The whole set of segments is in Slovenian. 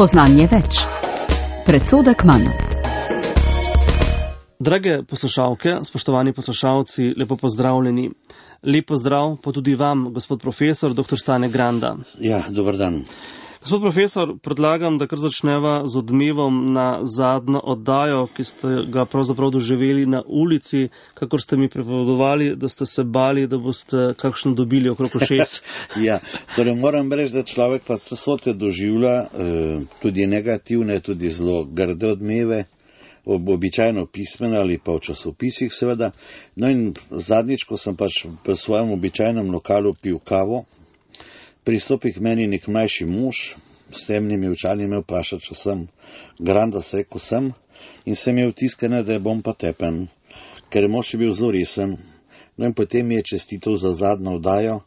Spoznanje več. Predsodek manj. Drage poslušalke, spoštovani poslušalci, lepo pozdravljeni. Lep pozdrav pa tudi vam, gospod profesor, dr. Stane Granda. Ja, dober dan. Gospod profesor, predlagam, da kar začneva z odmevom na zadnjo oddajo, ki ste ga pravzaprav doživeli na ulici, kakor ste mi pripovedovali, da ste se bali, da boste kakšno dobili okrog ušes. Ja, torej moram reči, da človek pa vse doživlja, tudi negativne, tudi zelo grde odmeve, običajno pismene ali pa v časopisih seveda. No in zadnjič, ko sem pač v svojem običajnem lokalu pil kavo, pristopi k meni nek mlajši mož s temnimi očali, me vpraša, če sem Granda, se rekel sem, in sem imel tiskane, da bom pa tepen, ker mož je bil zelo resen. No in potem mi je čestitev za zadnjo oddajo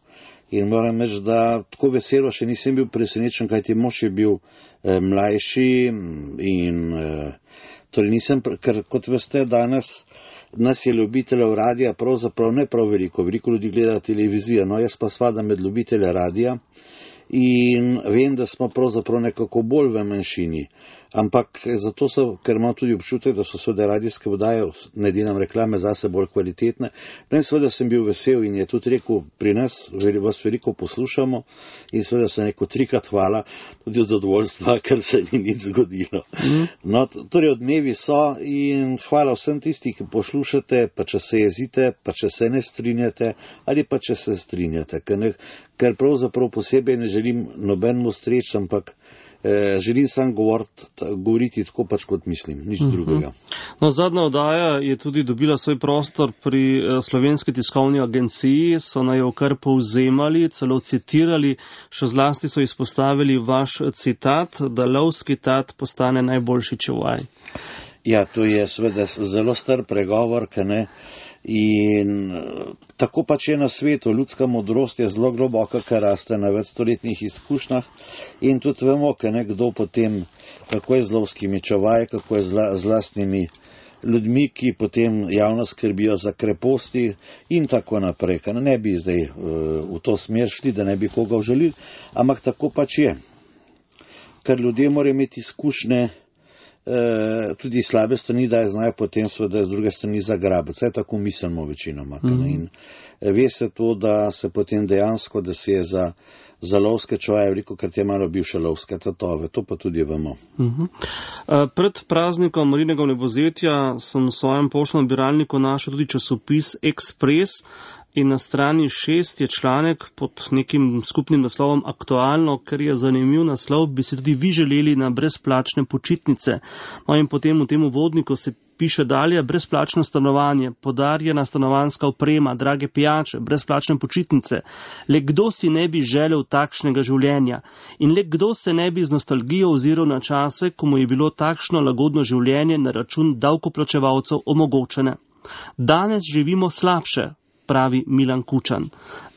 in moram reči, da tako veselo še nisem bil presenečen, kajti mož je bil mlajši in torej nisem, ker kot veste, danes nas je ljubiteljev radija pravzaprav ne prav veliko ljudi gleda televizijo, no jaz pa spadam med ljubitelje radija in vem, da smo pravzaprav nekako bolj v manjšini, ampak zato ker imam tudi občutek, da so seveda radijske oddaje, ne delam reklame zase, bolj kvalitetne. No in seveda sem bil vesel in je tudi rekel, pri nas vas veliko poslušamo in seveda sem rekel 3-krat hvala, tudi od zadovoljstva, ker se ni nič zgodilo. No, torej odmevi so in hvala vsem tisti, ki poslušate, pa če se jezite, pa če se ne strinjate ali pa če se strinjate, ker pravzaprav posebej ne želim nobenemu streč, ampak želim sam govoriti tako pač kot mislim, nič drugega. No, zadnja oddaja je tudi dobila svoj prostor pri Slovenski tiskovni agenciji, so naj jo kar povzemali, celo citirali, še zlasti so izpostavili vaš citat, da lovski tat postane najboljši čuvaj. Ja, to je seveda zelo star pregovor, in tako pač je na svetu, ljudska modrost je zelo globoka, ker raste na večstoletnih izkušnjah in tudi vemo, kdo potem, kako je z lovskimi čuvaji, kako je z lastnimi ljudmi, ki potem javno skrbijo za kreposti in tako naprej. Ne bi zdaj v to smer šli, da ne bi koga užalili, ampak tako pač je. Ker ljudje morajo imeti izkušnje, tudi slabe strani, da je znajo potem seveda z druge strani zagrabiti. Vse tako mislimo večinoma. In ve se to, da se potem dejansko, da se je za lovske čuvaje veliko, ker te malo bivše lovske tatove. To pa tudi vemo. Pred praznikom Marijinega vnebovzetja sem v svojem poštnem nabiralniku našel tudi časopis Ekspres. In na strani 6 je članek pod nekim skupnim naslovom Aktualno, ker je zanimiv naslov, bi si tudi vi želeli na brezplačne počitnice. No in potem v tem uvodniku se piše dalje, brezplačno stanovanje, podarjena stanovanjska oprema, drage pijače, brezplačne počitnice. Le kdo si ne bi želel takšnega življenja? In le kdo se ne bi z nostalgijo oziral na čase, ko mu je bilo takšno lagodno življenje na račun davkoplačevalcev omogočene? Danes živimo slabše, pravi Milan Kučan.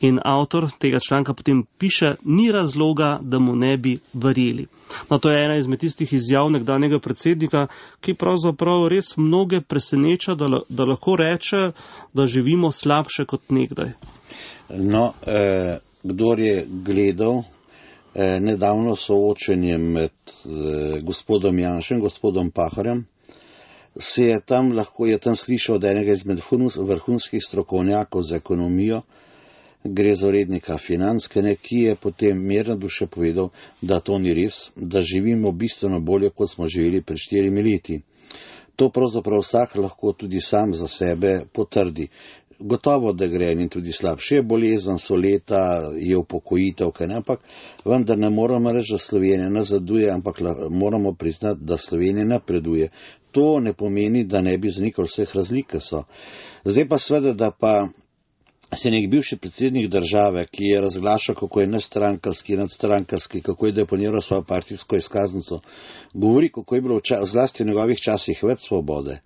In avtor tega članka potem piše, ni razloga, da mu ne bi verjeli. No, to je ena izmed tistih izjav nekdanjega predsednika, ki pravzaprav res mnoge preseneča, da lahko reče, da živimo slabše kot nekdaj. No, kdor je gledal nedavno soočenje med gospodom Janšem, gospodom Pahorjem, je tam slišal od enega izmed vrhunskih strokovnjakov za ekonomijo, gre za urednika Financ, ki je potem mirno duše povedal, da to ni res, da živimo bistveno bolje, kot smo živeli pred 4 leti. To pravzaprav vsak lahko tudi sam za sebe potrdi. Gotovo, da gre in tudi slabše, je bolezen, so leta, je upokojitev, ampak vendar ne moramo reči, da Slovenija nazaduje, ampak moramo priznati, da Slovenija napreduje. To ne pomeni, da ne bi zanikali vseh razlik, so. Zdaj pa seveda, da pa se nek bivši predsednik države, ki je razglašal, kako je nestrankarski, nadstrankarski, kako je deponiral svojo partijsko izkaznico, govori, kako je bilo zlasti v njegovih časih več svobode,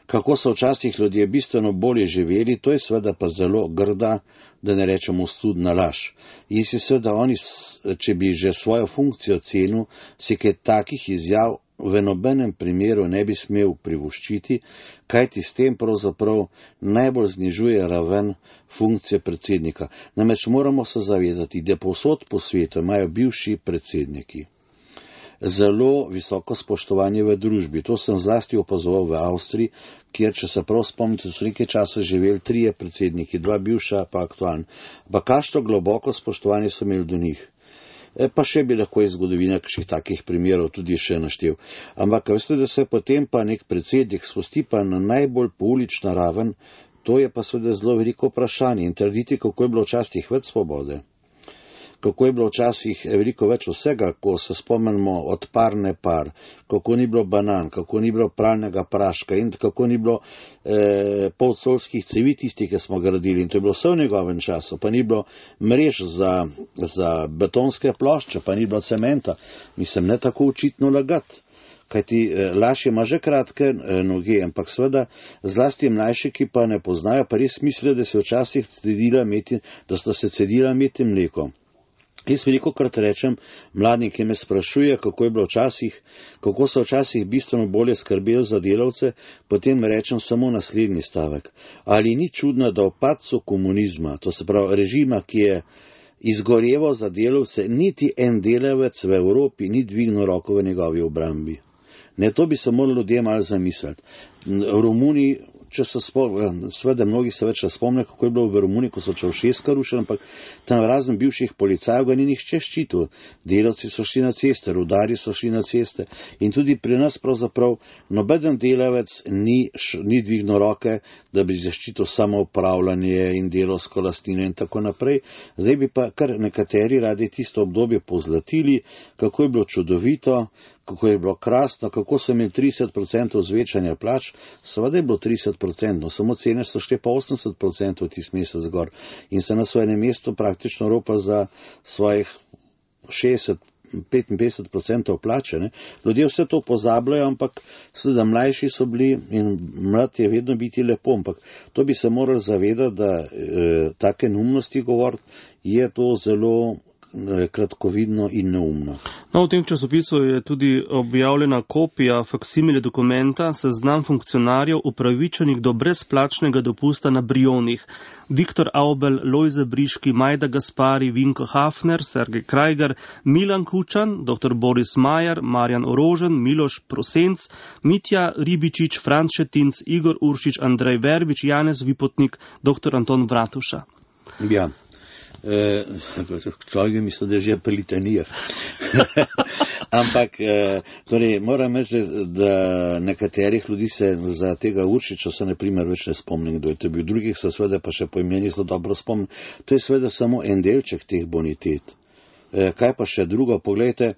kako so včasih ljudje bistveno bolje živeli, to je seveda pa zelo grda, da ne rečemo ostudna laž. In si seveda oni, če bi že svojo funkcijo cenil, si kaj takih izjav v nobenem primeru ne bi smel privoščiti, kajti s tem pravzaprav najbolj znižuje raven funkcije predsednika. Namreč moramo se zavedati, da povsod po svetu imajo bivši predsedniki zelo visoko spoštovanje v družbi. To sem zlasti opazoval v Avstriji, kjer, če se prav spomnite, so nekaj časa živeli 3 predsedniki, 2 bivša pa aktualni. Pa kakšno globoko spoštovanje so imeli do njih. Pa še bi lahko iz zgodovine kakšnih takih primerov tudi še naštel. Ampak veste, da se potem pa nek predsednik spusti pa na najbolj poulična raven, to je pa seveda zelo veliko vprašanje in trditi, kako je bilo včasih več svobode, kako je bilo včasih veliko več vsega, ko se spomnimo od parne par, kako ni bilo banan, kako ni bilo pralnega praška in kako ni bilo polcolskih cevi tistih, ki smo gradili. In to je bilo vse v njegovem času, pa ni bilo mrež za betonske plošče, pa ni bilo cementa. Mislim, ne tako očitno lagati. Kajti laž ima že kratke noge, ampak seveda zlasti mlajši, ki pa ne poznajo, pa res mislijo, da sta se cedila med mleko. Jaz velikokrat rečem mladim, ki me sprašuje, kako so včasih bistveno bolje skrbeli za delavce, potem rečem samo naslednji stavek. Ali ni čudno, da v padcu komunizma, to se pravi režima, ki je izgoreval za delavce, niti en delavec v Evropi ni dvignil roko v njegovi obrambi. Ne, to bi se moralo ljudje malo zamisliti. V Romuniji, če se spomnim, seveda mnogi se več spomnijo, kako je bilo v Romuniji, ko so Čaušeska rušili, ampak tam razen bivših policajev ga ni nihče ščitil. Delavci so šli na ceste, rudarji so šli na ceste in tudi pri nas pravzaprav nobeden delavec ni dvignil roke, da bi zaščitil samo upravljanje in delovsko lastnino in tako naprej. Zdaj bi pa kar nekateri radi tisto obdobje pozlatili, kako je bilo čudovito, kako je bilo krasno, kako so imeli 30% zvečanja plač, seveda je bilo 30%, samo cene so šle pa 80% tist mesec gor in se na svojem mestu praktično ropa za svojih 60-55% plače. Ne? Ljudje vse to pozabljajo, ampak seveda mlajši so bili in mlad je vedno biti lepo, ampak to bi se morali zavedati, da take neumnosti govoriti je to zelo kratkovidno in neumno. No, v tem časopisu je tudi objavljena kopija faksimile dokumenta seznam funkcionarjev upravičenih do brezplačnega dopusta na Brionih. Viktor Aubel, Lojze Briški, Majda Gaspari, Vinko Hafner, Sergej Krajger, Milan Kučan, dr. Boris Majer, Marjan Orožen, Miloš Prosenc, Mitja Ribičič, Franc Šetinc, Igor Uršič, Andrej Verbič, Janez Vipotnik, dr. Anton Vratuša. Ja. Človek misli, da je že pri litanijah. Ampak, torej, moram reči, da nekaterih ljudi se za tega Uršiča se na primer več ne spomnim, kdo je to bil. Drugih se seveda pa še po imeni zelo dobro spomnim. To je seveda samo en delček teh bonitet. Kaj pa še drugo? Poglejte,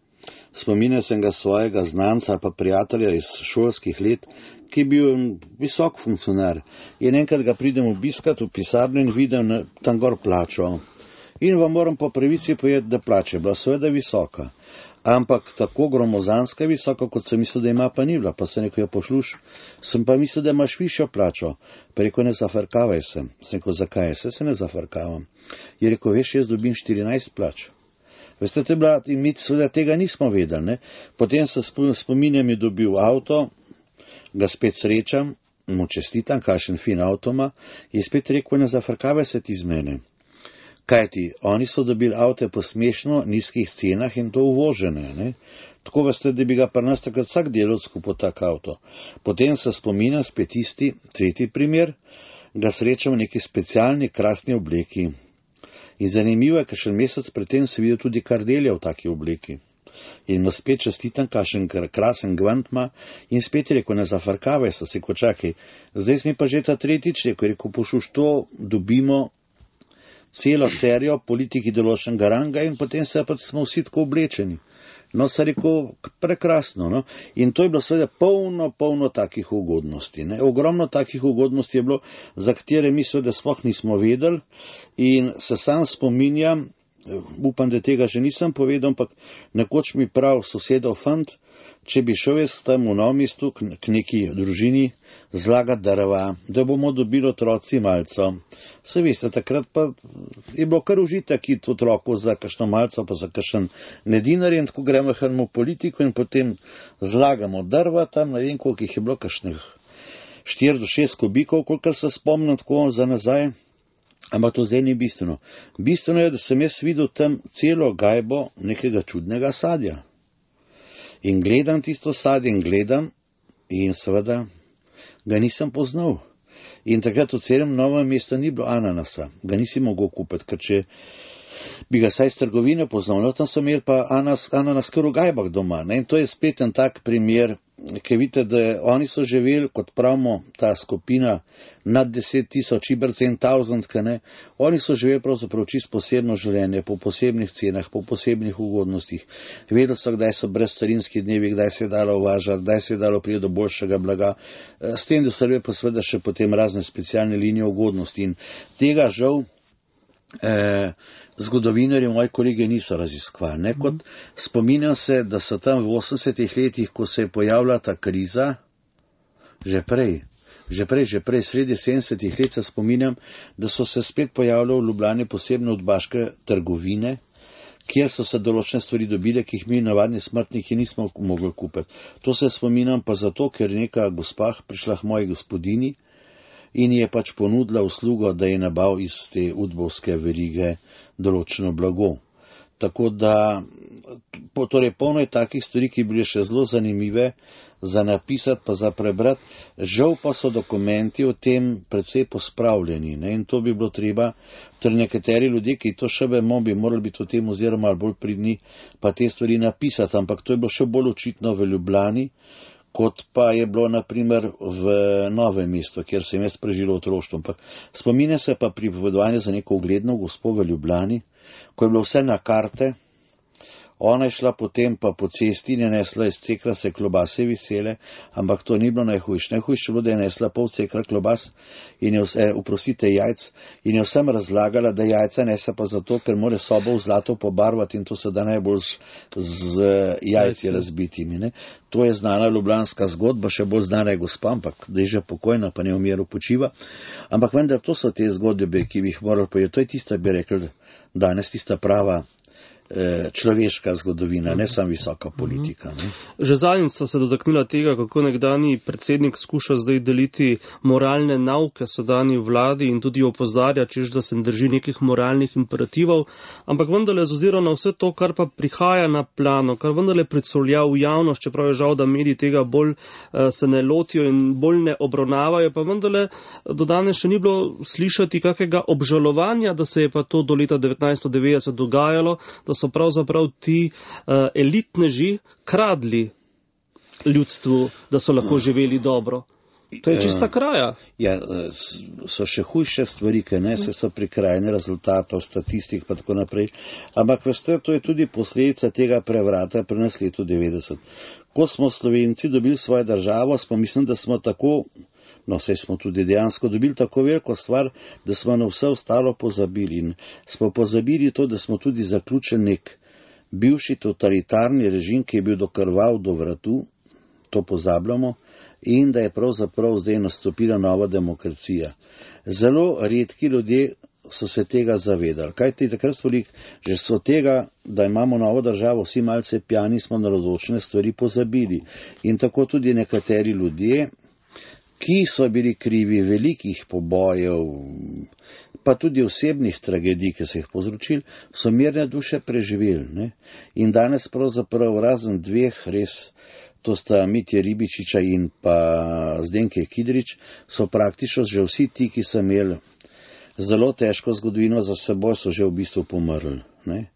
spominjal sem ga svojega znanca pa prijatelja iz šolskih let, ki je bil visok funkcionar. In enkrat ga pridem obiskat v pisarno in vidim tam gor plačo. In vam moram po pravici povedati, da plača je bila seveda visoka, ampak tako gromozanska visoka, kot sem mislil, da ima, pa ni bila. Pa sem rekel, jo pošluš, sem pa mislil, da imaš višjo plačo. Pa rekel, ne zafrkavaj se. Sem rekel, zakaj? Se ne zafrkavam. Je rekel, veš, jaz dobim 14 plač. Veste, to je bila, in mi seveda tega nismo vedeli. Ne? Potem se spominjam, je dobil avto, ga spet srečam, mu čestitam, kakšen fin avto ima, in spet rekel, ne zafrkavaj se ti z mene. Kajti, oni so dobili avte po smešno nizkih cenah in to uvožene. Ne? Tako veste, da bi ga pri nas takrat vsak delavec kupil tak avto. Potem se spominjam spet tisti, tretji primer, ga srečam v neki specialni krasni obleki. In zanimivo je, kakšen mesec predtem se videl tudi Kardelja v taki obleki. In mu spet čestitam, kakšen krasen gvant ima in spet rekel, ne zafrkavaj se, se ko čakaj. Zdaj smo pa že ta tretjič rekel, pošuš, to dobimo celo serijo politiki določenega ranga in potem se pa smo vsi tako oblečeni. No, se rekel, prekrasno. No? In to je bilo seveda polno takih ugodnosti. Ne? Ogromno takih ugodnosti je bilo, za katere mi seveda sploh nismo vedeli in se sam spominjam, upam, da tega že nisem povedal, ampak nekoč mi prav sosedov fant, če bi šel jaz tam v Novem mestu k neki družini zlagati drva, da bomo dobili otroci malco. Se veste, takrat pa je bilo kar užitek iti otroku za kakšno malco, pa za kakšen nedinar in tako gremo v politiko in potem zlagamo drva tam, ne vem, koliko jih je bilo, kakšnih 4 do 6 kubikov, koliko se spomnim tako za nazaj. Ampak to zdaj ni bistveno. Bistveno je, da sem jaz videl tam celo gajbo nekega čudnega sadja. In gledam tisto sadje in seveda ga nisem poznal. In takrat v celem Novem mestu ni bilo ananasa, ga nisi mogel kupiti, ker če bi ga saj iz trgovine poznal, no tam so imeli pa ananas kar v gajbah doma. Ne? In to je spet en tak primer, ki vidite, da oni so živeli, kot pravimo, ta skupina nad 10,000, über 10,000, oni so živeli pravzaprav čisto posebno življenje, po posebnih cenah, po posebnih ugodnostih. Vedeli so, kdaj so brezcarinski dnevi, kdaj se je dalo uvažati, kdaj se je dalo priti do boljšega blaga. S tem, da so bile pa seveda še potem razne specialne linije ugodnosti. In tega žal zgodovinarji, moji kolegi, niso raziskovali. Kot spominjam se, da so tam v 80-ih letih, ko se je pojavila ta kriza, že prej, sredi 70-ih let se spominjam, da so se spet pojavljali v Ljubljani posebne udbaške trgovine, kjer so se določene stvari dobile, ki jih mi navadni smrtniki nismo mogli kupiti. To se spominjam pa zato, ker neka gospa prišla k moji gospodini in je pač ponudila uslugo, da je nabav iz te udbovske verige določeno blago. Tako da, torej polno je takih stvari, ki bile še zelo zanimive za napisati, pa za prebrati. Žal pa so dokumenti o tem precej pospravljeni, ne? In to bi bilo treba, torej nekateri ljudje, ki to še vemo, bi morali biti o tem oziroma malo bolj pridni, pa te stvari napisati, ampak to je bilo še bolj očitno v Ljubljani, kot pa je bilo naprimer v Novem mestu, kjer sem jaz preživel otroštvo. Spominja se pa pripovedovanje za neko ugledno gospo v Ljubljani, ko je bilo vse na karte. Ona je šla potem pa po cesti in je nesla iz cekra se klobase visele, ampak to ni bilo najhujše. Najhujše bilo, da je nesla pol cekra klobas in jajc, in je vsem razlagala, da jajca nese pa zato, ker mora sobo v zlato pobarvati in to se da najbolj z jajci razbitimi. Ne? To je znana ljubljanska zgodba, še bolj znana je gospa, ampak da je že pokojna, pa ne v miru počiva. Ampak vendar to so te zgodbe, ki bi jih morali povedati. To je tista, bi rekel, danes tista prava človeška zgodovina, ne samo visoka politika. Ne? Že zadnjič sva se dotaknila tega, kako nekdanji predsednik skuša zdaj deliti moralne nauke sedanji vladi in tudi opozarja, češ da se drži nekih moralnih imperativov, ampak vendarle z ozirom na vse to, kar pa prihaja na plano, kar vendarle predstavlja v javnost, čeprav je žal, da mediji tega bolj se ne lotijo in bolj ne obravnavajo, pa vendarle do danes še ni bilo slišati kakega obžalovanja, da se je pa to do leta 1990 dogajalo, da so pravzaprav ti elitneži kradli ljudstvu, da so lahko živeli dobro. To je čista kraja. Ja, so še hujše stvari, ki ne, so prikrajene rezultatov, statistik pa tako naprej. Ampak veste, to je tudi posledica tega prevrata pri nas letu 90. Ko smo Slovenci dobili svojo državo, smo mislim, da smo tako, no, saj smo tudi dejansko dobili tako veliko stvar, da smo na vse ostalo pozabili. In smo pozabili to, da smo tudi zaključili nek bivši totalitarni režim, ki je bil dokrval do vratu, to pozabljamo, in da je pravzaprav zdaj nastopila nova demokracija. Zelo redki ljudje so se tega zavedali. Kajti takrat smo že so tega, da imamo novo državo, vsi malce pjani, smo na določene stvari pozabili. In tako tudi nekateri ljudje, ki so bili krivi velikih pobojev, pa tudi osebnih tragedij, ki so jih povzročili, so mirne duše preživeli. Ne? In danes pravzaprav razen dveh res, to sta Mitje Ribičiča in pa Zdenke Kidrič, so praktično že vsi ti, ki so imeli zelo težko zgodovino za seboj, so že v bistvu pomrli. Ne?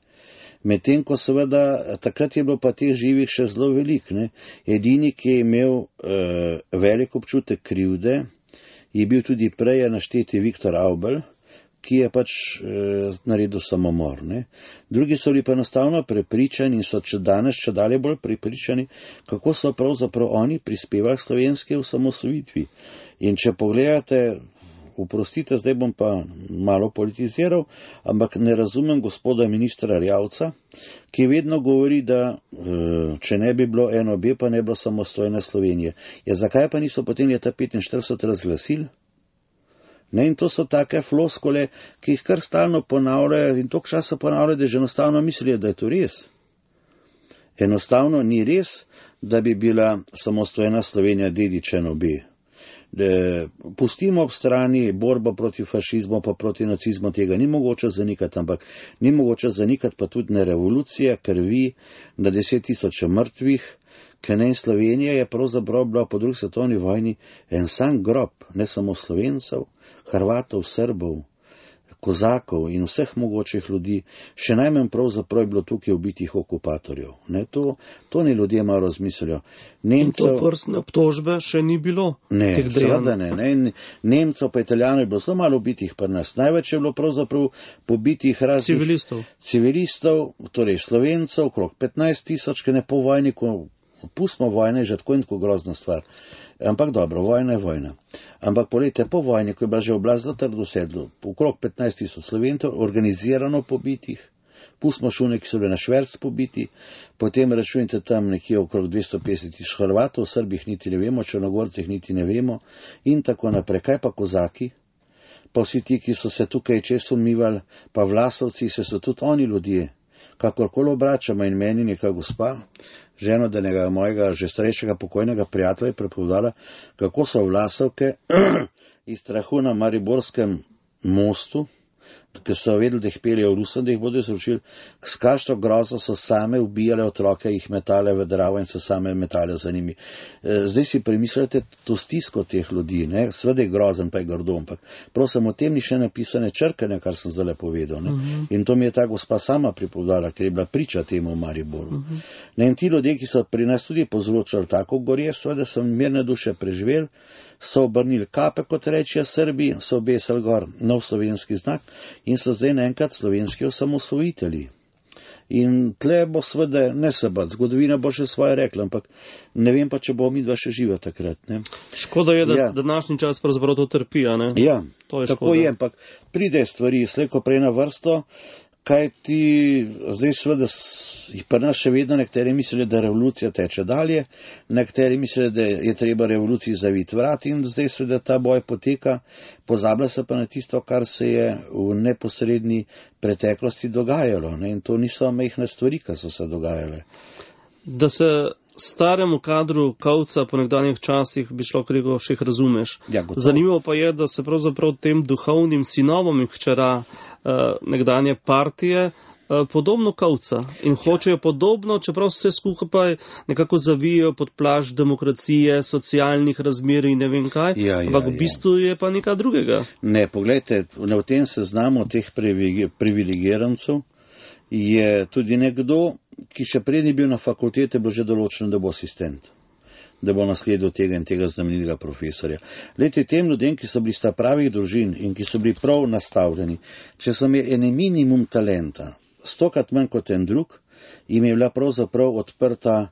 Medtem, ko seveda takrat je bilo pa teh živih še zelo velik. Ne? Edini, ki je imel velik občutek krivde, je bil tudi prej našteti Viktor Avbelj, ki je pač naredil samomor. Ne? Drugi so bili pa enostavno prepričani in so danes še dalje bolj prepričani, kako so pravzaprav oni prispevali slovenske osamosvojitvi. In če pogledate, oprostite, zdaj bom pa malo politiziral, ampak ne razumem gospoda ministra Erjavca, ki vedno govori, da če ne bi bilo NOB, pa ne bi bilo samostojne Slovenije. Ja, zakaj pa niso potem leta 1945 razglasili? Ne, in to so take floskole, ki jih kar stalno ponavljajo in toliko časa ponavljajo, da že enostavno mislijo, da je to res. Enostavno ni res, da bi bila samostojna Slovenija dedič NOB. Pustimo ob strani borbo proti fašizmu pa proti nacizmu, tega ni mogoče zanikati, ampak ni mogoče zanikati pa tudi ne revolucija, krvi, na 10 000 mrtvih, Ker Slovenija je pravzaprav bila po drugi svetovni vojni en sam grob, ne samo Slovencev, Hrvatov, Srbov, Kozakov in vseh mogočih ljudi, še najmanj pravzaprav je bilo tukaj ubitih okupatorjev. Ne, to ni ljudje malo razmislijo. In to vrstne obtožbe še ni bilo? Ne, seveda ne. Nemcev pa Italijanov je bilo zelo malo ubitih pri nas. Največ je bilo pravzaprav pobitih raznih civilistov, torej Slovencev, okrog 15,000, ki ne po vojni, ko pustimo vojne, je že tako in tako grozna stvar. Ampak dobro, vojna je vojna. Ampak polete po vojni, ko je bila že oblast zelo trdo sedlo, okrog 15,000 Slovencev, organizirano pobitih, pustimo šune, ki so bili na šverc pobiti, potem računite tam nekje okrog 250,000 Hrvatov, Srbih niti ne vemo, Črnogorcih niti ne vemo in tako naprej. Kaj pa Kozaki? Pa vsi ti, ki so se tukaj često umivali, pa Vlasovci, se so tudi oni ljudje. Kakorkoli obračamo in meni neka gospa, ženo denega mojega že starejšega pokojnega prijatelja, je prepovedala, kako so Vlasovke iz strahu na Mariborskem mostu, ker so vedeli, da jih peljejo v Rusom, da jih bodo izročili, s kakšno grozo so same ubijale otroke, jih metale v Dravo in se same metale za njimi. Zdaj si premislite to stisko teh ljudi, ne? Sveda je grozen, pa je grdo, ampak prosim, o tem ni še napisane črkane, kar sem zdaj povedal. Ne? In to mi je ta gospa sama pripovedala, ker je bila priča temu v Mariboru. In ti ljudje, ki so pri nas tudi povzročali tako gorje, sveda so mirne duše preživeli, so obrnili kape, kot rečijo Srbi, so obesili gor nov slovenski znak in so zdaj naenkrat slovenski osamosvojitelji. In tle bo sveda ne se bat, zgodovina bo še svoje rekla, ampak ne vem pa, če bo midva še živa takrat. Ne? Škoda je, da današnji čas pravzaprav to trpi, a ne? Ja, to je tako škoda. Je, ampak pride stvari slejko prej na vrsto, kaj ti zdaj sveda pri nas še vedno nekateri mislijo, da revolucija teče dalje, nekateri mislijo, da je treba revoluciji zaviti vrat in zdaj sveda ta boj poteka, pozablja se pa na tisto, kar se je v neposredni preteklosti dogajalo. Ne? In to niso majhne stvari, ki so se dogajale. Da se staremu kadru Kovca po nekdanjih časih bi šlo krego še jih razumeš. Ja, zanimivo pa je, da se pravzaprav tem duhovnim sinovom in hčera nekdanje partije podobno Kovca in hočejo podobno, čeprav vse skupaj nekako zavijajo pod plašč demokracije, socialnih razmer in ne vem kaj, ampak v bistvu je pa nekaj drugega. Ne, poglejte, v tem seznamu teh privilegirancev je tudi nekdo, ki še prej ni bil na fakultete, bilo že določeno, da bo asistent, da bo nasledil tega in tega znamenitega profesorja. Glejte, tem ljudem, ki so bili sta pravih družin in ki so bili prav nastavljeni, če so imeli en minimum talenta, 100krat manj kot en drug, jim je bila pravzaprav odprta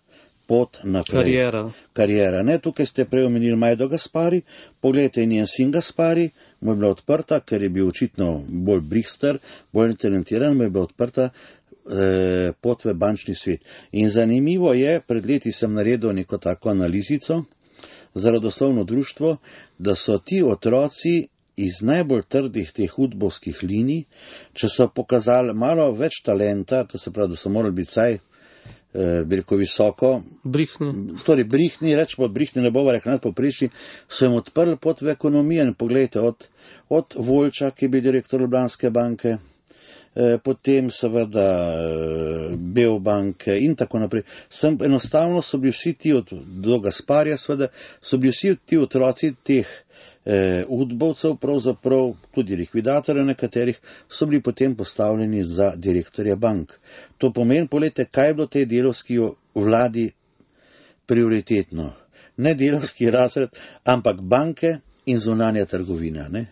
pot naprej. Karijera. Ne, tukaj ste prej omenili Majdo Gaspari, pogledajte, njen sin Gaspari, mu je bila odprta, ker je bil očitno bolj brister, bolj talentiran, mu je bila odprta pot v bančni svet. In zanimivo je, pred leti sem naredil neko tako analizico za rodoslovno društvo, da so ti otroci iz najbolj trdih teh udbovskih linij, če so pokazali malo več talenta, to se pravi, da so morali biti saj veliko visoko, torej brihni, rečemo brihni, ne bova rekla nadpoprečni, so jim odprli pot v ekonomijo in pogledajte, od Voljča, ki je bil direktor Ljubljanske banke, potem seveda Beobanke in tako naprej. Enostavno so bili vsi ti do Gasparja, seveda, so bili vsi ti otroci teh udbovcev, pravzaprav tudi likvidatorjev nekaterih, so bili potem postavljeni za direktorja bank. To pomeni, poglejte, kaj je bilo tej delovski vladi prioritetno. Ne delovski razred, ampak banke in zunanja trgovina, ne?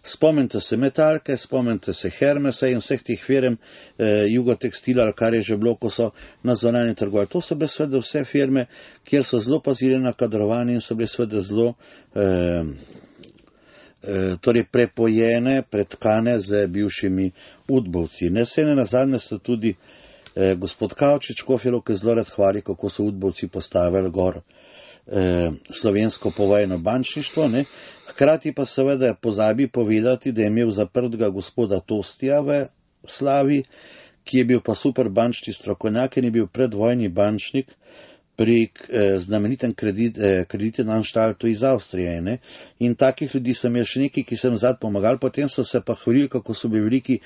Spomnite se Metalke, spomnite se Hermesa in vseh teh firm Jugotekstila, kar je že bilo, ko so na zunanje trgovali. To so bile sveda vse firme, kjer so zelo pazili na kadrovanje in so bile sveda zelo torej prepojene, pretkane z bivšimi udbovci. Ne se ne nazadnje so tudi gospod Kavčič Kofjelo, ki zelo rad hvali, kako so udbovci postavili gor slovensko povojno bančništvo, ne? Hkrati pa seveda pozabi povedati, da je imel zaprtega gospoda Tostija v Slavi, ki je bil pa super bančni strokovnjak in je bil predvojni bančnik, pri znamenitem kreditnem anstaltu iz Avstrije. Ne? In takih ljudi sem imel še nekaj, ki sem zadnj pomagal, potem so se pa hvalili, kako so bili veliki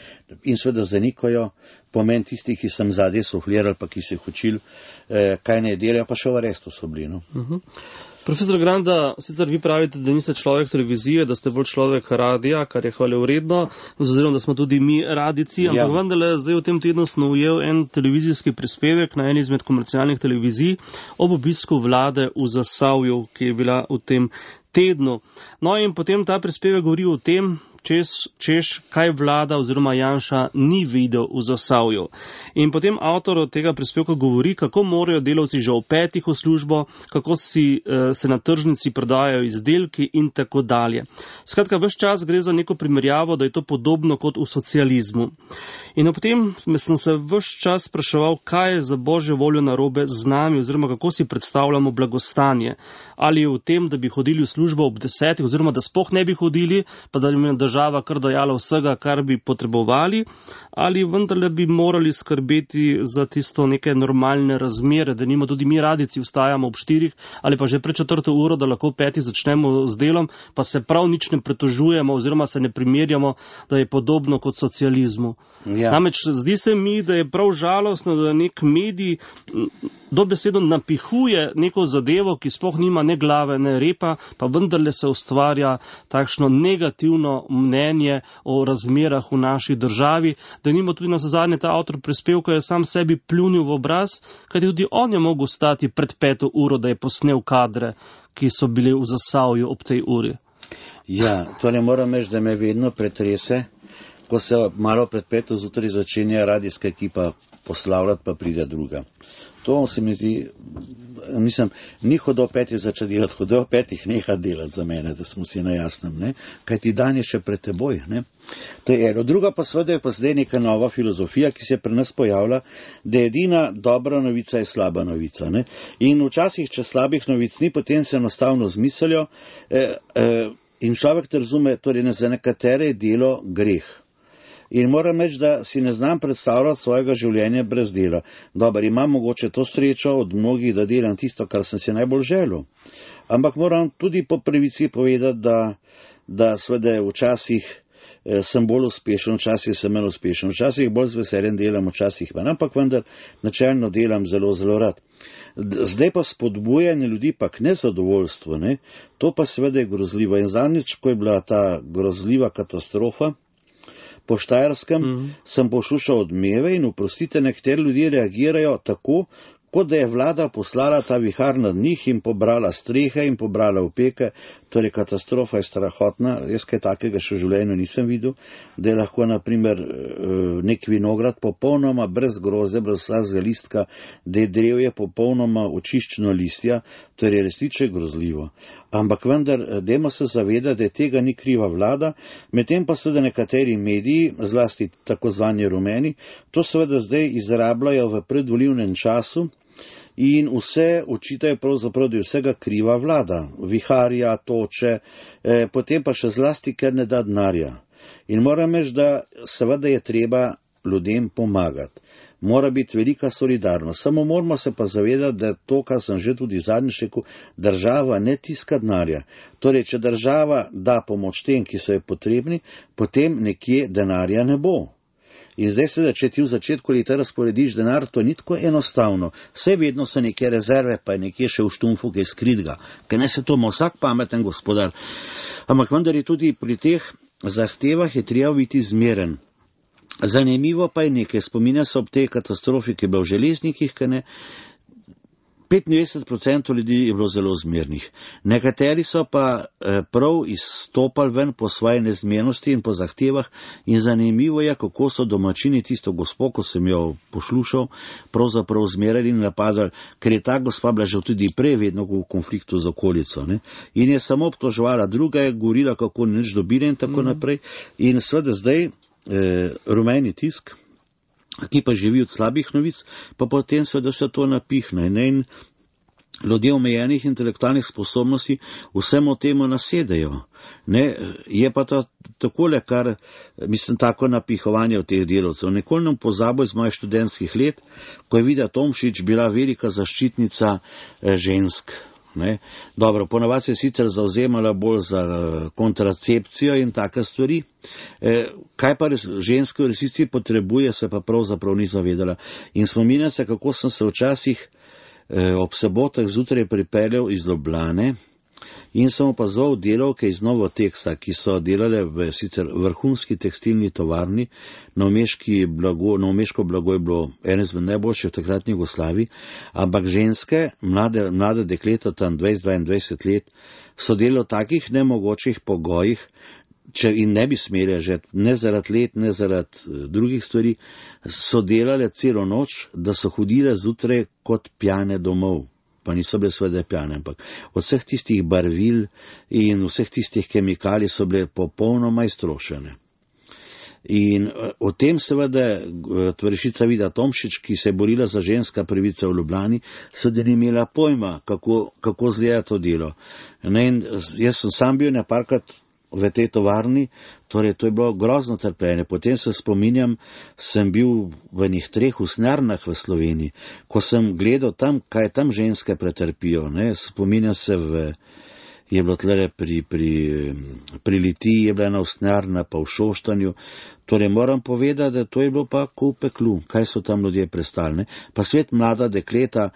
in seveda zanikajo pomen tistih, ki sem zadnje sufliral, pa ki se jih učil, kaj ne delajo, pa še v arestu so bili. No? Profesor Granda, sicer vi pravite, da niste človek televizije, da ste bolj človek radija, kar je hvalevredno, oziroma da smo tudi mi radijci, ampak vendarle zdaj v tem tednu sem ujel en televizijski prispevek na eni izmed komercialnih televizij ob obisku vlade v Zasavju, ki je bila v tem tednu. No in potem ta prispevek govori o tem, češ, kaj vlada oziroma Janša ni videl v Zasavju. In potem avtor od tega prispevka govori, kako morajo delavci že opetih v službo, kako se na tržnici prodajajo izdelki in tako dalje. Skratka, ves čas gre za neko primerjavo, da je to podobno kot v socializmu. In potem sem se ves čas spraševal, kaj je za božjo voljo narobe z nami oziroma kako si predstavljamo blagostanje. Ali je v tem, da bi hodili v službo ob 10, oziroma da sploh ne bi hodili, pa da bi država kar dajala vsega, kar bi potrebovali, ali vendarle bi morali skrbeti za tisto neke normalne razmere, da nima tudi mi radijci vstajamo ob 4 ali pa že pred 4. uro, da lahko 5 začnemo z delom, pa se prav nič ne pretožujemo oziroma se ne primerjamo, da je podobno kot socializmu. Ja. Namreč zdi se mi, da je prav žalostno, da nek medij dobesedno napihuje neko zadevo, ki sploh nima ne glave, ne repa, pa vendarle se ustvarja takšno negativno mnenje o razmerah v naši državi, da nima tudi na zadnje ta avtor prispevka je sam sebi pljunil v obraz, kajti tudi on je mogel stati pred 5. uro, da je posnel kadre, ki so bili v Zasavju ob tej uri. Ja, torej moram reči, da me vedno pretrese, ko se malo pred 5. zjutraj začenja radijska ekipa poslavljati, pa pride druga. To se mi zdi, mislim, ni hodo 5 začeti delati, hodo 5 neha delati za mene, da smo si na jasnem, ne? Kaj ti dan je še pred teboj, ne? To je eno. Druga pa seveda je pa zdaj neka nova filozofija, ki se pri nas pojavlja, da edina dobra novica je slaba novica, ne? In včasih, če slabih novic ni, potem se enostavno zmislijo in človek te razume, torej za nekatere je delo greh. In moram reči, da si ne znam predstavljati svojega življenja brez dela. Dobar, imam mogoče to srečo od mnogih, da delam tisto, kar sem si najbolj želel. Ampak moram tudi po pravici povedati, da seveda včasih sem bolj uspešen, včasih sem manj uspešen, včasih bolj z veseljem delam, včasih manj, ampak vendar načelno delam zelo, zelo rad. Zdaj pa spodbujanje ljudi pa k nezadovoljstvu, ne? To pa seveda je grozljivo. In zadnjič, ko je bila ta grozljiva katastrofa po Štajerskem, sem poslušal odmeve in oprostite, nekateri ljudje reagirajo tako, kot da je vlada poslala ta vihar nad njih in pobrala strehe in pobrala opeke, torej katastrofa je strahotna, jaz kaj takega še v življenju nisem videl, da je lahko naprimer nek vinograd popolnoma brez groze, brez vsakega listka, da je drevje popolnoma očiščeno listja, torej resnično grozljivo. Ampak vendar, dajmo se zavedati, da tega ni kriva vlada, medtem pa seveda nekateri mediji, zlasti tako zvani rumeni, to seveda zdaj izrabljajo v predvolilnem času in vse očitajo pravzaprav, da je vsega kriva vlada, viharja, toče, potem pa še zlasti, ker ne da denarja. In moram reči, da seveda je treba ljudem pomagati. Mora biti velika solidarnost. Samo moramo se pa zavedati, da to, kar sem že tudi zadnjič rekel, država ne tiska denarja. Torej, če država da pomoč tem, ki so je potrebni, potem nekje denarja ne bo. In zdaj seveda, če ti v začetku leta razporediš denar, to ni tako enostavno. Vse vedno so neke rezerve, pa je nekje še v štumfu, kaj skritga, ker ne se to ima vsak pameten gospodar. Ampak vendar je tudi pri teh zahtevah je treba biti zmeren. Zanimivo pa je nekaj, spominja se ob tej katastrofi, ki je bila v železnikih, kaj ne, 95% ljudi je bilo zelo zmernih. Nekateri so pa prav izstopali ven po svoje nezmernosti in po zahtevah in zanimivo je, kako so domačini tisto gospo, ko sem jo poslušal, pravzaprav zmerali in napadali, ker je ta gospa bila že tudi prej vedno v konfliktu z okolico. Ne? In je samo obtoževala, druga je govorila, kako nič dobila in tako naprej. In seveda zdaj rumeni tisk, ki pa živi od slabih novic, pa potem seveda se to napihne. In ljudje omejenih intelektualnih sposobnosti vsemu temu nasedejo. Ne, je pa to takole, kar, mislim, tako napihovanje v teh delavcev. Nikoli ne pozabo iz mojih študentskih let, ko je Vida Tomšič bila velika zaščitnica žensk. Ne. Dobro, ponavadi se je sicer zauzemala bolj za kontracepcijo in take stvari. Kaj pa ženske v resnici potrebuje, se pa pravzaprav ni zavedala. In spominjam se, kako sem se včasih ob sobotah zjutraj pripeljal iz Ljubljane in sem opazoval delavke iz Novoteksa, ki so delale v sicer vrhunski tekstilni tovarni. Novomeško blago je bilo eno izmed najboljših v takratni Jugoslaviji, ampak ženske, mlade dekleta, tam 20-22 let, so delali v takih nemogočih pogojih, če in ne bi smeli že, ne zaradi let, ne zaradi drugih stvari, so delale celo noč, da so hodile zjutraj kot pjane domov. Pa niso bile seveda pjane, ampak vseh tistih barvil in vseh tistih kemikalij so bile popolnoma iztrošene. In o tem seveda tovarišica Vida Tomšič, ki se je borila za ženska pravica v Ljubljani, seveda ni imela pojma, kako zgleda to delo. In jaz sem sam bil neparkrat v tej tovarni, torej to je bilo grozno trpljenje. Potem se spominjam, sem bil v njih 3 usnjarnah v Sloveniji, ko sem gledal tam, kaj tam ženske pretrpijo. Ne. Spominjam se, je bilo tlele pri Litiji, je bila ena usnjarna, pa v Šoštanju. Torej moram povedati, da to je bilo pa ko v peklu, kaj so tam ljudje prestali. Ne. Pa svet mlada dekleta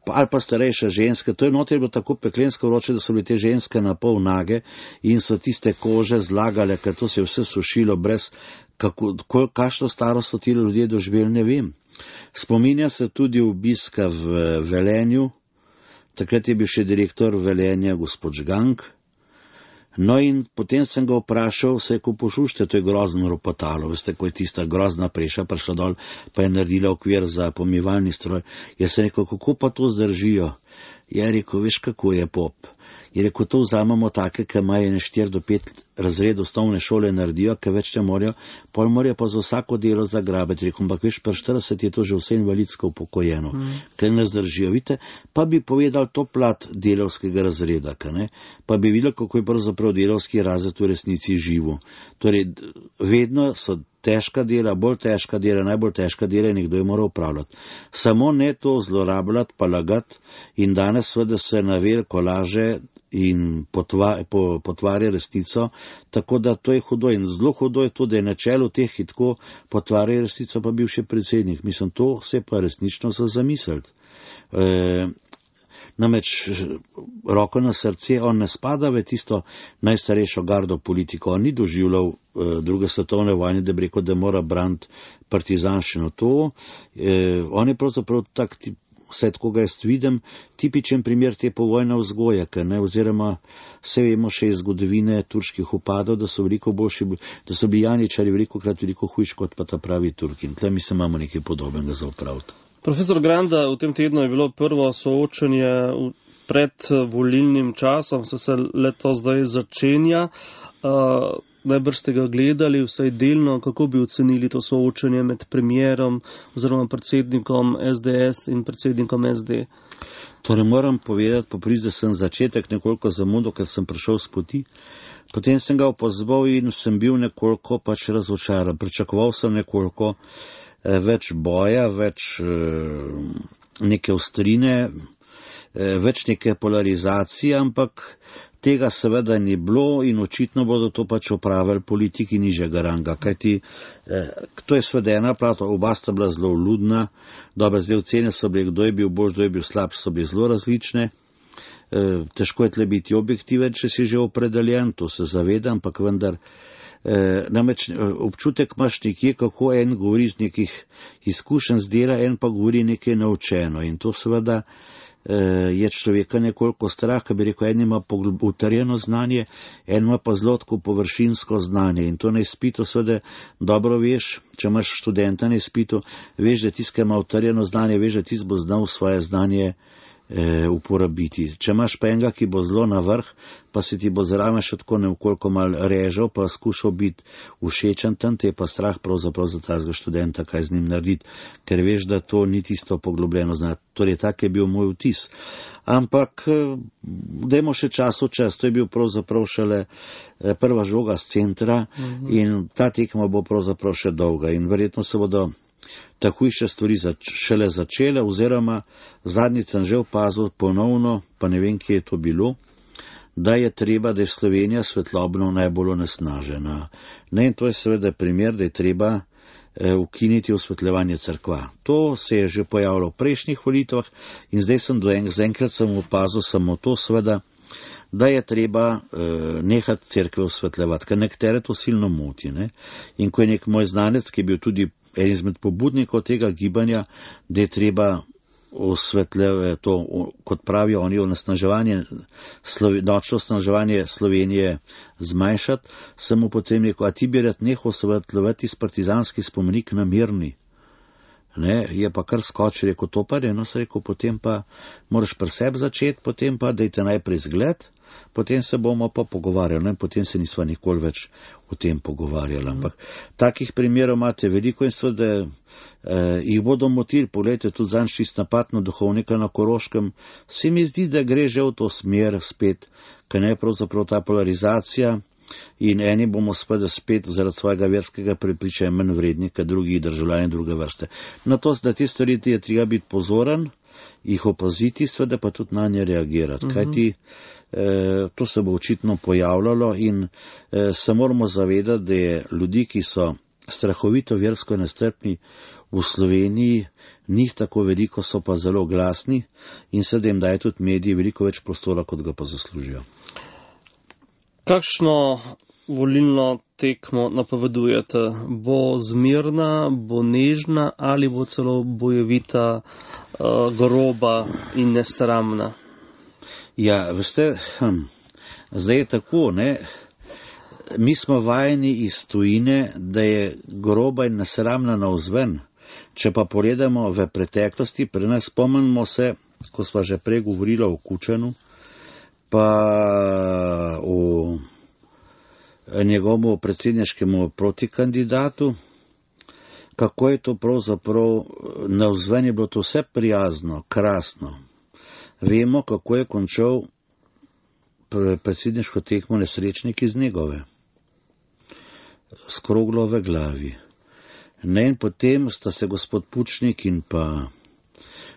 ali pa starejša ženske, to je noter bilo tako peklensko vroče, da so bile te ženske na pol nage in so tiste kože zlagale, ker to se je vse sušilo brez, kakšno starost so ti ljudje doživeli, ne vem. Spominja se tudi obiska v Velenju, takrat je bil še direktor Velenja gospod Žgank. No in potem sem ga vprašal, se je ko pošušte, to je grozno ropotalo, veste, ko je tista grozna preša prišla dol, pa je naredila okvir za pomivalni stroj. Jaz sem rekel, kako pa to zdržijo? Je rekel, veš, kako je pop? Je rekel, to vzamemo take, ki imajo 4 do 5 razredov osnovne šole naredijo, ki več ne morajo, pol morajo pa za vsako delo zagrabiti. Rekel, ampak veš, pri 40 je to že vse invalidsko upokojeno, ker ne zdržijo. Vidite, pa bi povedal to plat delavskega razreda, pa bi videl, kako je pravzaprav delavski razred v resnici živo. Torej, vedno so težka dela, bolj težka dela, najbolj težka dela in nekdo je moral upravljati. Samo ne to zlorabljati, pa lagati in danes seveda se na veliko laže in potvarja resnico, tako da to je hudo in zelo hudo je to, da je na čelu teh, ki tako potvarja resnico, pa bil še predsednik. Mislim, to se pa resnično za zamisliti. Namreč, roko na srce, on ne spada v tisto najstarejšo gardo politiko, on ni doživljal druge svetovne vojne, da bi rekel, da mora braniti partizanščino. On je pravzaprav tak tip, vse tako ga jaz vidim, tipičen primer te povojne vzgoje, oziroma vse vemo še iz zgodovine turških upadov, da so veliko boljši, da so bili janičari veliko hujši kot pa ta pravi Turki. In tle mi se imamo nekaj podobnega za opraviti. Profesor Granda, v tem tednu je bilo prvo soočenje pred volilnim časom, se leto zdaj začenja. Najbrž ste ga gledali, vsaj delno, kako bi ocenili to soočenje med premijerom oziroma predsednikom SDS in predsednikom SD? Torej moram povedati, da sem začetek nekoliko zamudil, ker sem prišel s poti. Potem sem ga opazval in sem bil nekoliko razočaran. Pričakoval sem nekoliko več boja, več neke ostrine, več neke polarizacije, ampak tega seveda ni bilo in očitno bodo to opravili politiki nižjega ranga, kajti to je seveda ena plat, oba sta bila zelo ludna, dobre, zdaj ocene so bile, kdo je bil boljši, kdo je bil slabši, so bile zelo različne. Težko je tle biti objektiven, če si že opredeljen, to se zavedam, ampak vendar namreč občutek imaš nekje, kako en govori z nekih izkušenj z dela, en pa govori nekaj naučeno in to seveda je človeka nekoliko strah, ker bi rekel, en ima utrjeno znanje, en ima pa zelo tako površinsko znanje in to na izpitu seveda dobro veš, če imaš študenta na izpitu, veš, da tisti, ki ima utrjeno znanje, veš, da tisti bo znal svoje znanje uporabiti. Če imaš pa enega, ki bo zelo na vrh, pa se ti bo zraven še tako nekoliko mal režal, pa skušal biti všečen tam, te je pa strah pravzaprav za tazga študenta, kaj z njim narediti, ker veš, da to ni tisto poglobljeno znati. Torej, tak je bil moj vtis. Ampak, dajmo še čas v čas, to je bil pravzaprav šele prva žoga z centra in ta tekma bo pravzaprav še dolga in verjetno se bodo takojše stvari šele začele, oziroma zadnjič sem že opazil ponovno, pa ne vem, kje je to bilo, da je treba, da je Slovenija svetlobno najbolj onesnažena. Ne, in to je seveda primer, da je treba ukiniti osvetljevanje cerkva. To se je že pojavilo v prejšnjih volitvah in zdaj sem zaenkrat sem opazil samo to, seveda, da je treba nehati cerkve osvetljevati, ker nekatere to silno moti. Ne? In ko je nek moj znanec, ki je bil tudi en izmed pobudnikov tega gibanja, da je treba osvetljevati to, kot pravijo oni, nočno osnaževanje Slovenije zmanjšati, sem mu potem rekel, a ti bi rad nehal osvetljevati partizanski spomenik na Mirni. Ne, je pa kar skočil, rekel, to pa je, no se rekel, potem pa moraš pri sebi začeti, potem pa dajte najprej zgled, potem se bomo pa pogovarjali, in potem se nisva nikoli več o tem pogovarjali. Ampak takih primerov imate veliko in seveda jih bodo motili. Poglejte, tudi zanj čist napad na duhovnika na Koroškem. Se mi zdi, da gre že v to smer spet, ker ne pravzaprav ta polarizacija in eni bomo seveda spet zaradi svojega verskega prepričanja manj vredni, kot drugi državljani druge vrste. Na to, da te stvari je treba biti pozoren, jih opaziti, seveda pa tudi na nje reagirati. Kajti to se bo očitno pojavljalo in se moramo zavedati, da je ljudi, ki so strahovito versko nestrpni v Sloveniji, njih tako veliko, so pa zelo glasni in se da jim daje tudi mediji veliko več prostora, kot ga pa zaslužijo. Kakšno volilno tekmo napovedujete? Bo zmirna, bo nežna ali bo celo bojevita, groba in nesramna? Ja, veste, zdaj je tako, ne, mi smo vajeni iz tujine, da je groba in nesramna navzven. Če pa pogledamo v preteklosti, pri nas spomnimo se, ko sva že prej govorila o Kučanu, pa o njegovemu predsedniškemu protikandidatu, kako je to pravzaprav navzven je bilo to vse prijazno, krasno. Vemo, kako je končal predsedniško tekmo nesrečnik iz Negove, s kroglo v glavi. Ne, in potem sta se gospod Pučnik in pa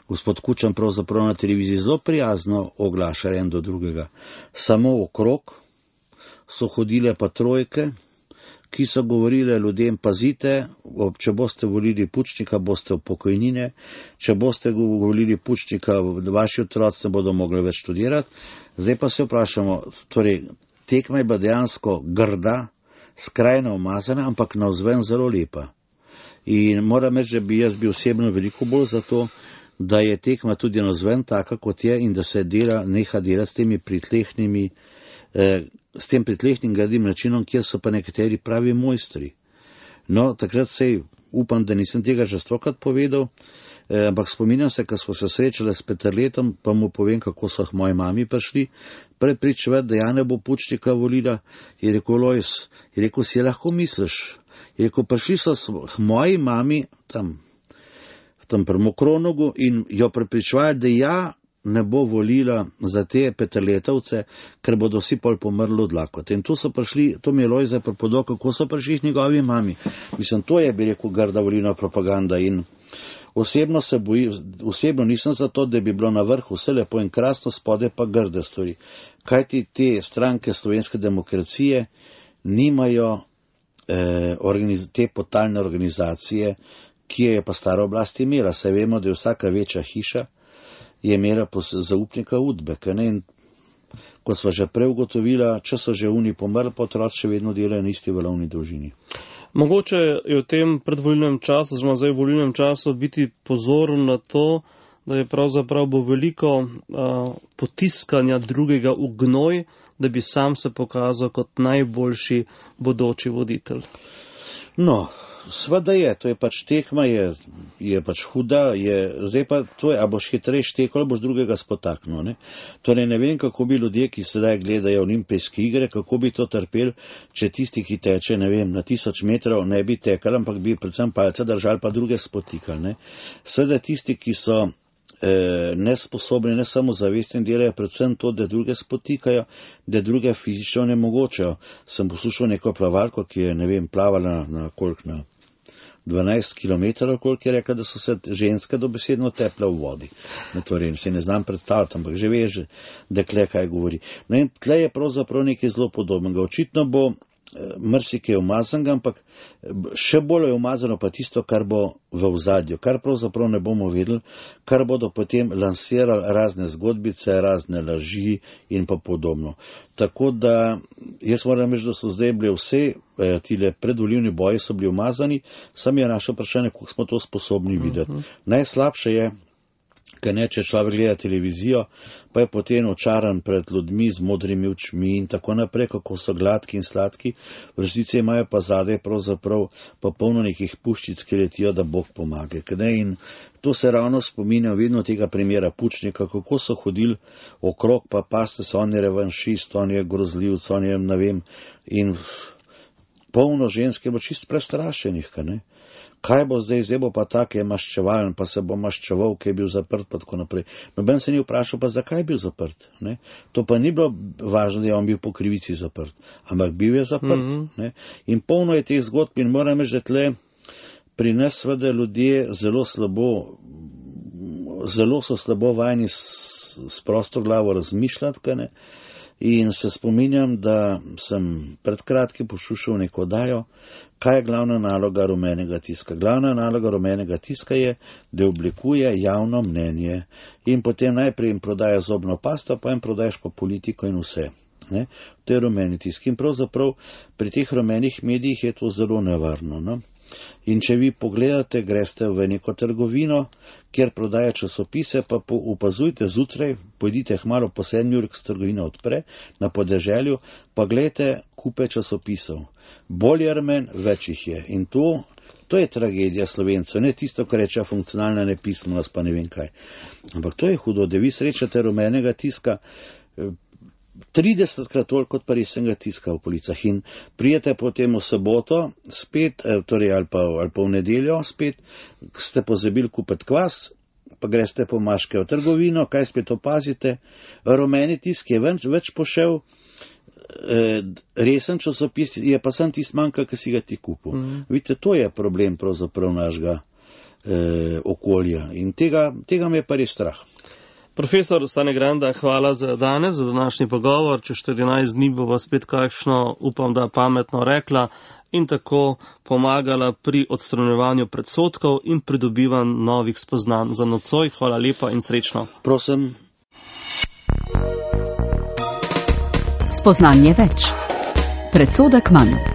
gospod Kučan pravzaprav na televiziji zelo prijazno oglašali en do drugega. Samo okrog so hodile pa trojke, ki so govorile ljudem, pazite, če boste volili Pučnika, boste v pokojnine, če boste volili Pučnika, vaši otroci ne bodo mogli več študirati. Zdaj pa se vprašamo, torej, tekma je bila dejansko grda, skrajno umazana, ampak navzven zelo lepa. In moram reči, da bi jaz bil osebno veliko bolj za to, da je tekma tudi navzven taka, kot je, in da se neha delati s temi pritlehnimi s tem pritlehnim gradim načinom, kjer so pa nekateri pravi mojstri. No, takrat sej upam, da nisem tega že stokrat povedal, ampak spominjam se, ko smo se srečali s Peterletom, pa mu povem, kako so moji mami prišli prepričevati, da ja ne bo Pučnika volila, je rekel Lojs, je rekel, si lahko misliš, je rekel, prišli so moji mami tam pri Mokronogu in jo prepričevali, da ja ne bo volila za te Peterletovce, ker bodo vsi pol pomrli od lakote. In tu so prišli, to mi je Lojz prepodal, kako so prišli njegovi mami. Mislim, to je, bi rekel, grda volilna propaganda in osebno nisem za to, da bi bilo na vrhu vse lepo in krasno, spode pa grde stvari. Kajti te stranke slovenske demokracije nimajo te potalne organizacije, ki je pa stara oblast imela. Saj vemo, da je vsaka večja hiša je imela zaupnika Udbeka. In ko sva že prej ugotovila, če so že oni pomrli, pa otroci še vedno delajo na isti valovni dolžini. Mogoče je v tem predvolilnem času, oziroma zdaj v volilnem času, biti pozoren na to, da je pravzaprav bo veliko potiskanja drugega v gnoj, da bi sam se pokazal kot najboljši bodoči voditelj. No, Sveda to je pač tekma, je pač huda, zdaj pa to je, a boš hitreje štekel, ali boš drugega spotaknil, ne. Torej ne vem, kako bi ljudje, ki sedaj gledajo olimpijske igre, kako bi to trpeli, če tisti, ki teče, ne vem, na 1000 metrov ne bi tekali, ampak bi predvsem palce držali, pa druge spotikali, ne. Sveda tisti, ki so nesposobni, ne samo zavestni, delajo predvsem to, da druge spotikajo, da druge fizično ne mogočejo. Sem poslušal neko plavalko, ki je, ne vem, plavala na 12 kilometrov, koliko je rekla, da so se ženske dobesedno teple v vodi. Torej, se ne znam predstavljati, ampak že veš, dekle kaj govori. No in tle je pravzaprav nekaj zelo podobnega. Očitno bo marsikaj umazanega, ampak še bolj je umazano pa tisto, kar bo v ozadju, kar pravzaprav ne bomo vedeli, kar bodo potem lansirali razne zgodbice, razne laži in pa podobno. Tako da jaz moram reči, da so zdaj bili vse tile predvolilni boji so bili umazani, sam je naše vprašanje, kako smo to sposobni videti. Najslabše je, če človek gleda televizijo, pa je potem očaran pred ljudmi z modrimi očmi in tako naprej, kako so gladki in sladki, v resnici imajo pa zadaj pravzaprav pa polno nekih puščic, ki letijo, da Bog pomaga. In to se ravno spominja vedno tega primera Pučnika, kako so hodili okrog, pa paste so, on je revanšist, on je grozljivc, on je, ne vem, in polno žensk je bilo čist prestrašenih, ne. Kaj bo zdaj bo pa tak je maščevalen, pa se bo maščeval, ki je bil zaprt, pa tako naprej. Noben se ni vprašal, pa zakaj je bil zaprt, ne? To pa ni bilo važno, da je on bil po krivici zaprt, ampak bil je zaprt, ne? In polno je teh zgodb in moram reči, da tle pri nas seveda ljudje zelo so slabo vajeni s prosto glavo razmišljati, ne? In se spominjam, da sem pred kratkim poslušal neko oddajo, kaj je glavna naloga rumenega tiska. Glavna naloga rumenega tiska je, da oblikuje javno mnenje in potem najprej jim prodaja zobno pasto, pa jim prodajaš pa politiko in vse. Ne? To je rumeni tisk. In pravzaprav pri teh rumenih medijih je to zelo nevarno. No? In če vi pogledate, greste v neko trgovino, kjer prodaja časopise, pa opazujte zjutraj, pojdite hmalo po 7 uri, ko se trgovina odpre, na podeželju, pa gledajte kupe časopisov. Bolj je rumen, več jih je. In to je tragedija Slovencev, ne tisto, kar reče funkcionalna nepismenost, pa ne vem kaj. Ampak to je hudo, da vi srečate rumenega tiska 30krat toliko kot pa resnega tiska v policah in prijete potem v soboto spet, torej ali pa v nedeljo spet, ste pozabili kupiti kvas, pa greste po maške v trgovino, kaj spet opazite, rumeni tisk je več pošel, resen časopis je pa sam tist manjka, ki si ga ti kupil. Vidite, to je problem pravzaprav našega okolja in tega me je pa res strah. Profesor Stane Granda, hvala za danes, za današnji pogovor. Čez 14 dni bova spet kakšno, upam, da pametno rekla in tako pomagala pri odstranjevanju predsodkov in pridobivanju novih spoznanj. Za nocoj hvala lepa in srečno. Prosim. Spoznanje več. Predsodek manj.